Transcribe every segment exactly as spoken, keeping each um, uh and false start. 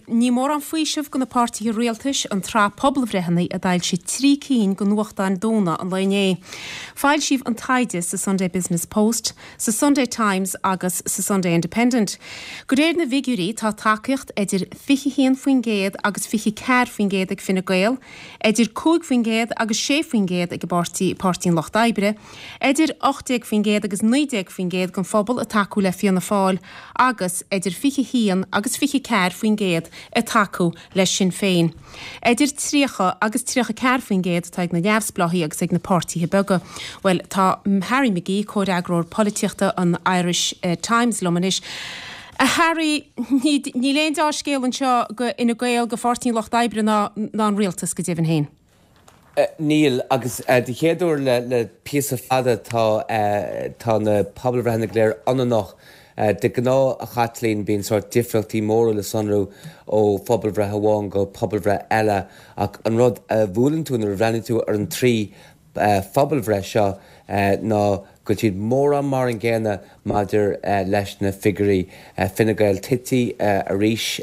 Ní mórán faoiseamh do na páirtithe rialtais an tsraith pobalbhreitheanna a d'fhoilsigh trí cinn de nuachtáin domhanda an lae inné. Foilsíodh an taighde sa Sunday Business Post, sa Sunday Times agus sa Sunday Independent. De réir na bhfigiúirí tá tacaíocht idir fiche haon faoin gcéad agus fiche ceathair faoin gcéad ag Fine Gael, idir cúig faoin gcéad agus sé faoin gcéad ag an bpáirtí Páirtí an Lucht Oibre, idir ocht déag faoin gcéad agus naoi déag faoin gcéad den phobal ag tacú le Fianna Fáil agus idir fiche haon agus fiche ceathair faoin gcéad ag tacú le Sinn Féin. Idir tríocha agus tríocha ceathair faoin gcéad atá ag na neamhspleáchaí agus ag na páirtithe beaga. Well tá Harry McGee, comhfhreagróir polaitíochta an Irish uh, Times liom anois. A Harry níl aon dea-scéal anseo do Fhine Gael do Pháirtí an Lucht Oibre ná ná an rialtas go deimhin féin. Níl agus den chéad uair le le píosa fada tá tá na pobalbhreitheanna go léir ionannach de ghnáth a Chaitlín bíonn sórt difríochtaí móra le sonrú ó phobalbhreith amháin go pobalbhreith eile ach an rud a bhuaileann tú nuair a bhreathnaíonn tú ar an trí phobalbhreith seo ná go bhfuil siad mórán mar an gcéanna maidir leis na figiúirí Fine Gael tite arís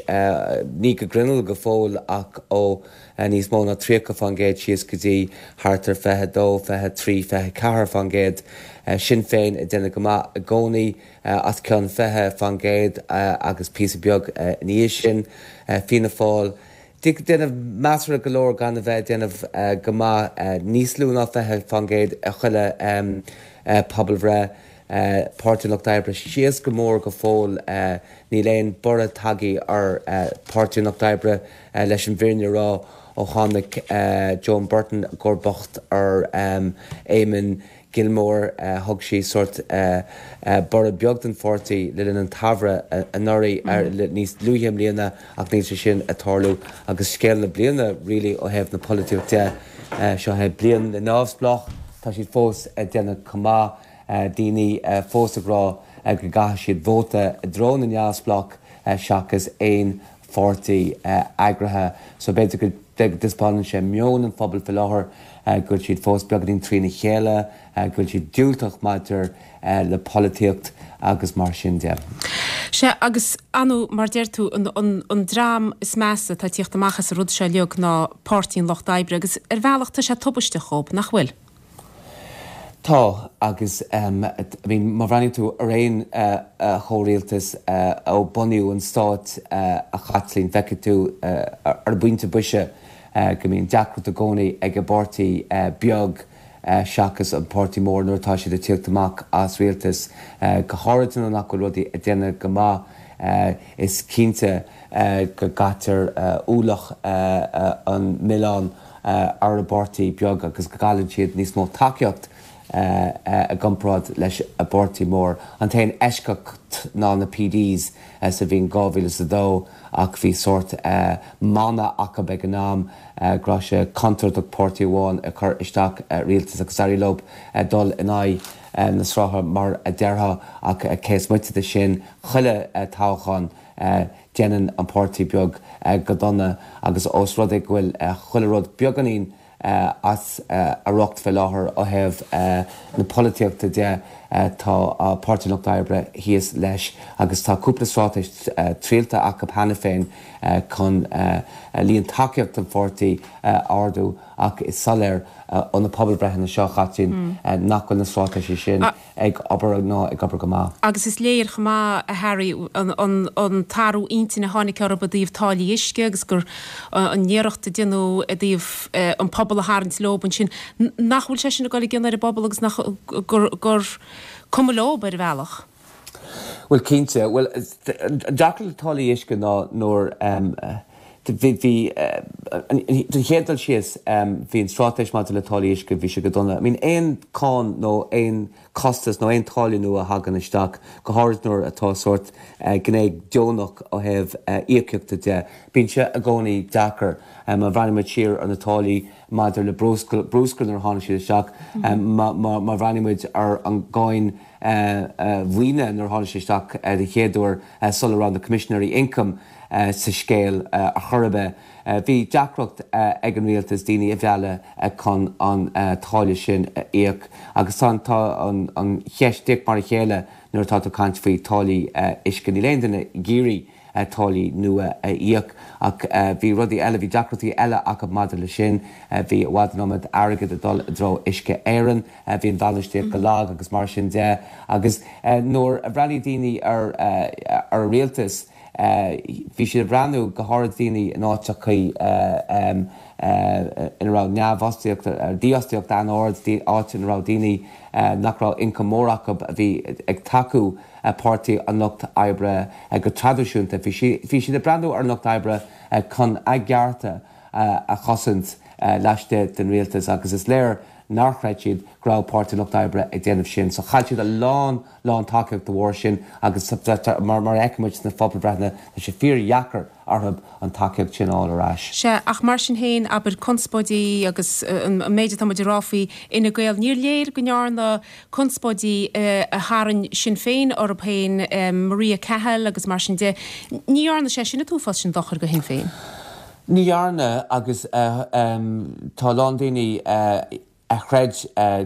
ní go grinneall go fóill ach ó níos mó ná tríocha faoin gcéad síos go dtí thart ar fiche dó fiche trí fiche ceathair faoin gcéad Sinn Féin ag déanamh go maith i gcónaí os cionn fiche faoin gcéad agus píosa beag ina dhiaidh sin Fianna Fáil déanamh measartha go leor gan a bheith déanamh go maith níos lú ná fiche faoin gcéad a chuile pobalbhreith Páirtí an Lucht Oibre síos go mór go fóill níl aon borradh tagtha ar Páirtí an Lucht Oibre leis an bhfírinne a rá ó tháinig Joan Burton i gcomharbacht ar Eamon Gilmore thug sí sórt borradh beag don pháirtí le linn an tsamhraidh anuraidh níos luaithe i mbliana ach níl sé sin ag tarlú agus scéal na bliana really ó thaobh na polaitíochta de seo é bliain na neamhspleách tá siad fós ag déanamh go maith daoine fós ag rá go gcaithfidh siad vóta i dtreo na neamhspleách seachas aon pháirtí eagraithe so b'fhéidir go dtaispeánann sé meon an phobail faoi láthair go bhfuil siad fós beagáinín trína chéile go bhfuil siad diúltach maidir le polaitíocht agus mar sin de. Sea agus anu mar deir tú an, an, an dream is measa atá ag tíocht amach as an rud seo uilig ná Páirtí an Lucht Oibre agus ar bhealach tá sé tubaisteach dóibh nach bhfuil. Tá agus um, I mean, má bhreathnaíonn tú ar aon uh, uh, chomhrialtas uh, ó bunaíodh an stát uh, a Chaitlín feicfidh tú uh, ar bpointe boise uh, go mbíonn deacracht i gcónaí ag an bpáirtí uh, beag uh, seachas an páirtí mór nuair atá siad ag tíocht amach as rialtas uh, go háirithe nuair nach bhfuil rudaí ag déanamh go maith uh, is cinnte uh, go gcaitear uh, ualach uh, uh, an milleáin uh, ar an bpáirtí beag agus go gcailleann siad níos mó tacaíocht i gcomparáid leis an bpáirtí mór. An t-aon eisceacht ná na PDs sa bhliain dhá mhíle is a dó ach bhí sórt mana acu ag an am go raibh sé contúirteach páirtí amháin a chur isteach rialtas agus d'éirigh leo dul in aghaidh na srutha mar a déarfá ach cé is moite de sin chuile toghchán déanann an páirtí beag go dona agus os rud é go bhfuil chuile rud beagáinín as a riocht faoi láthair ó thaobh na polaitíochta de tá Páirtí an Lucht Oibre thíos leis agus tá cúpla straitéis triailte acu cheana féin chun líon tacaíocht an pháirtí a ardú ach is soiléir ó na pobalbhreitheanna seo Chaitlín nach bhfuil na straitéisí sin ag obair ná ag obair go maith. Agus is léir chomh maith a Harry an t-athrú intinne a tháinig orthu i dtaobh táillí uisce agus gur an iarracht a déanadh i dtaobh an pobal a tharraingt leo ansin nach bhfuil sé sin ag dul i gcion ar an bpobal agus nach gur gur cuma leo ar bhealach. Well cinnte, well an deacracht le táillí uisce ná nuair bhí den chéad dul síos bhí an straitéis maidir le táillí uisce bhí sé go dona. I mean aon cáin nó aon costas nó aon táille nua a thagann isteach go háirithe nuair atá sórt gné deonach ó thaobh íocaíochta de. Bíonn sé i gcónaí deacair má bhreathnaíonn muid siar ar na táillí maidir le bruscar nuair a tháinig siad isteach má bhreathnaíonn muid ar an gcáin mhaoine nuair a tháinig sé isteach den chéad uair sula raibh na Coimisinéirí Ioncaim sa scéal a chor ar bith. Bhí deacracht ag an rialtas daoine a mhealladh chun an táille sin a íoc agus tá an cheist díreach mar a chéile nuair atá tú ag caint faoi táillí uisce. Níl aon duine ag iarraidh táillí nua a íoc ach bhí rudaí eile bhí deacrachtaí eile acu maidir leis sin bhí i bhfad an iomad airgead ag dul i dtreo Uisce Éireann bhí an bhainistíocht go lag agus mar sin de agus nuair a bhreathnaigh daoine ar ar an rialtas bhí siad ag breathnú go háirid daoine in áiteachaí ina raibh neamhfhostaíocht dífhostaíocht an-ard áit ina raibh daoine nach raibh ioncam mór acu a bhí ag tacú Páirtí an Lucht Oibre go traidisiúnta. Bhí siad ag breathnú ar an Lucht Oibre chun a gcearta a chosaint laistigh den rialtas agus is léir nár chreid siad go raibh Páirtí an Lucht Oibre ag déanamh sin. So chaill siad a lán lán tacaíocht de bharr sin agus mar mar a fheicimid sna pobalbhreitheanna tá sé fíordheacair orthu an tacaíocht sin a fháil ar ais. Sea, ach mar sin féin, abair, conspóidí agus an méid atá muid ag rá faoi Fhine Gael, níor léir go ndearna conspóidí a tharraing Sinn Féin orthu féin, Maria Cahill agus mar sin de, ní dhearna sé sin an t-uafás sin dochair do Shinn Féin. Ní dhearna agus tá a lán daoine a chreid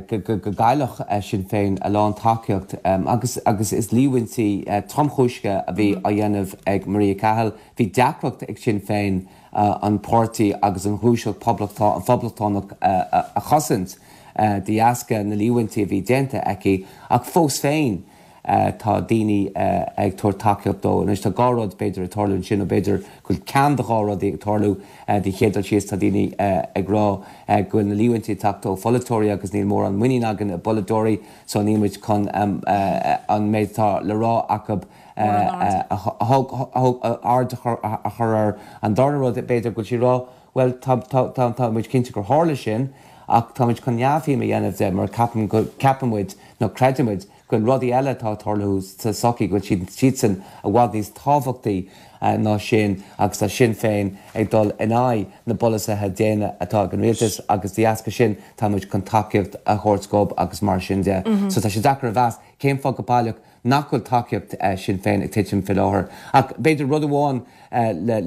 go gcaillfeadh Sinn Féin a lán tacaíocht agus agus is líomhaintí tromchúiseacha a bhí á dhéanamh ag Maria Cahill. Bhí deacracht ag Sinn Féin an páirtí agus an ghluaiseacht phoblachtánach a chosaint de dheasca na líomhaintí a bhí déanta aici ach fós féin tá daoine ag tabhairt tacaíocht dó. Anois tá dhá rud b'fhéidir ag tarlú ansin, nó b'fhéidir go bhfuil ceann de dhá rudaí ag tarlú. Den chéad dul síos tá daoine ag rá go bhfuil na líomhaintí ag teacht ó pholaiteoirí agus níl mórán muinín againn i bpolaiteoirí so níl muid chun an méid atá le rá acu aird a chur air. An darna rud b'fhéidir go bhfuil siad ag rá bhuel tá muid cinnte gur tharla sin ach tá muid chun neamhshuim a dhéanamh de mar ceapann muid nó creideann muid go bhfuil rudaí eile atá ag tarlú sa tsochaí, go bhfuil siadsan i bhfad níos tábhachtaí ná sin agus tá Sinn Féin ag dul in aghaidh na bpolasaithe déine atá ag an rialtas agus de dheasca sin tá muid chun tacaíocht a thabhairt dóibh agus mar sin de. So tá sé deacair a mheas cén fáth go baileach nach bhfuil tacaíocht Sinn Féin ag titim faoi láthair. Ach b'fhéidir rud amháin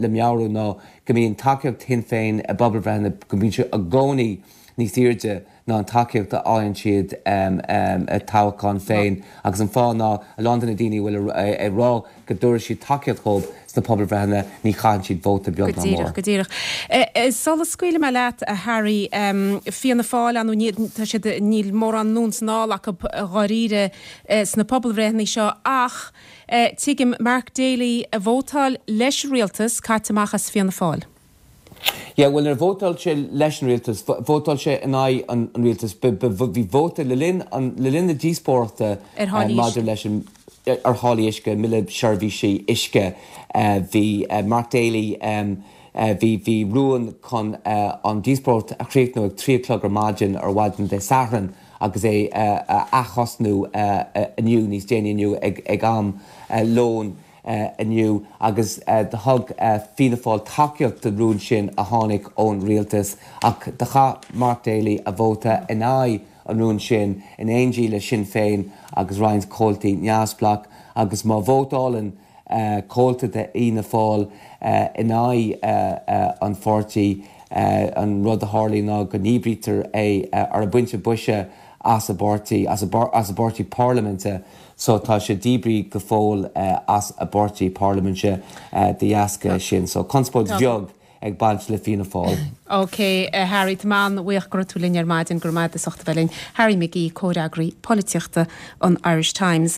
le meabhrú ná go mbíonn tacaíocht Shinn Féin i bpobalbhreitheanna, go mbíonn sé i gcónaí níos airde ná an tacaíocht a fhaigheann siad sa toghchán féin agus an fáth ná a lán de na daoine a bhfuil ag rá go dtabharfaidh siad tacaíocht dhóibh sna pobalbhreitheanna ní chaitheann siad vóta beag Go ná díreach, mór. go díreach. Sula scaoilfidh mé leat, a Harry, Fianna Fáil, ar ndóigh, tá siad, níl mórán anonn is anall acu dháiríre sna pobalbhreitheanna seo ach tuigim Mark Daly a vótáil leis an rialtas caite amach as Fianna Fáil. Yeah, bhuel níor vótáil sé leis an rialtas, vótáil sé in aghaidh an rialtais. Bhí vóta le linn le linn na díospóireachta Ar tháillí maidir uisce. leis an ar tháillí uisce, an mBille Seirbhísí Uisce. Bhí Mark Daly bhí bhí rún chun an díospóireacht a chríochnú ag trí a chlog ar maidin ar mhaidin Dé Sathairn agus é a aththosnú inniu níos déanaí inniu ag ag am lóin. inniu agus do thug Fianna Fáil tacaíocht don rún sin a tháinig ón rialtas ach do chaith Mark Daly a vóta in aghaidh an rúin sin in éindí le Sinn Féin agus roinnt comhaltaí neamhspleách agus má vótálann comhalta de Fhianna Fáil in aghaidh an pháirtí an rud a tharlaíonn ná go ndíbrítear é ar an bpointe boise as an bpáirtí, as an bpáirtí parlaiminte. So tá sé díbrithe go fóill as an bpáirtí parlaiminte de dheasca sin. So conspóid bheag ag baint le Fianna Fáil. Ok, a Harry, tá mé an-bhuíoch go raibh tú linn ar maidin, go raibh maith agat as ucht a bheith linn. Harry McGee, Comhfhreagraí Polaitíochta an Irish Times.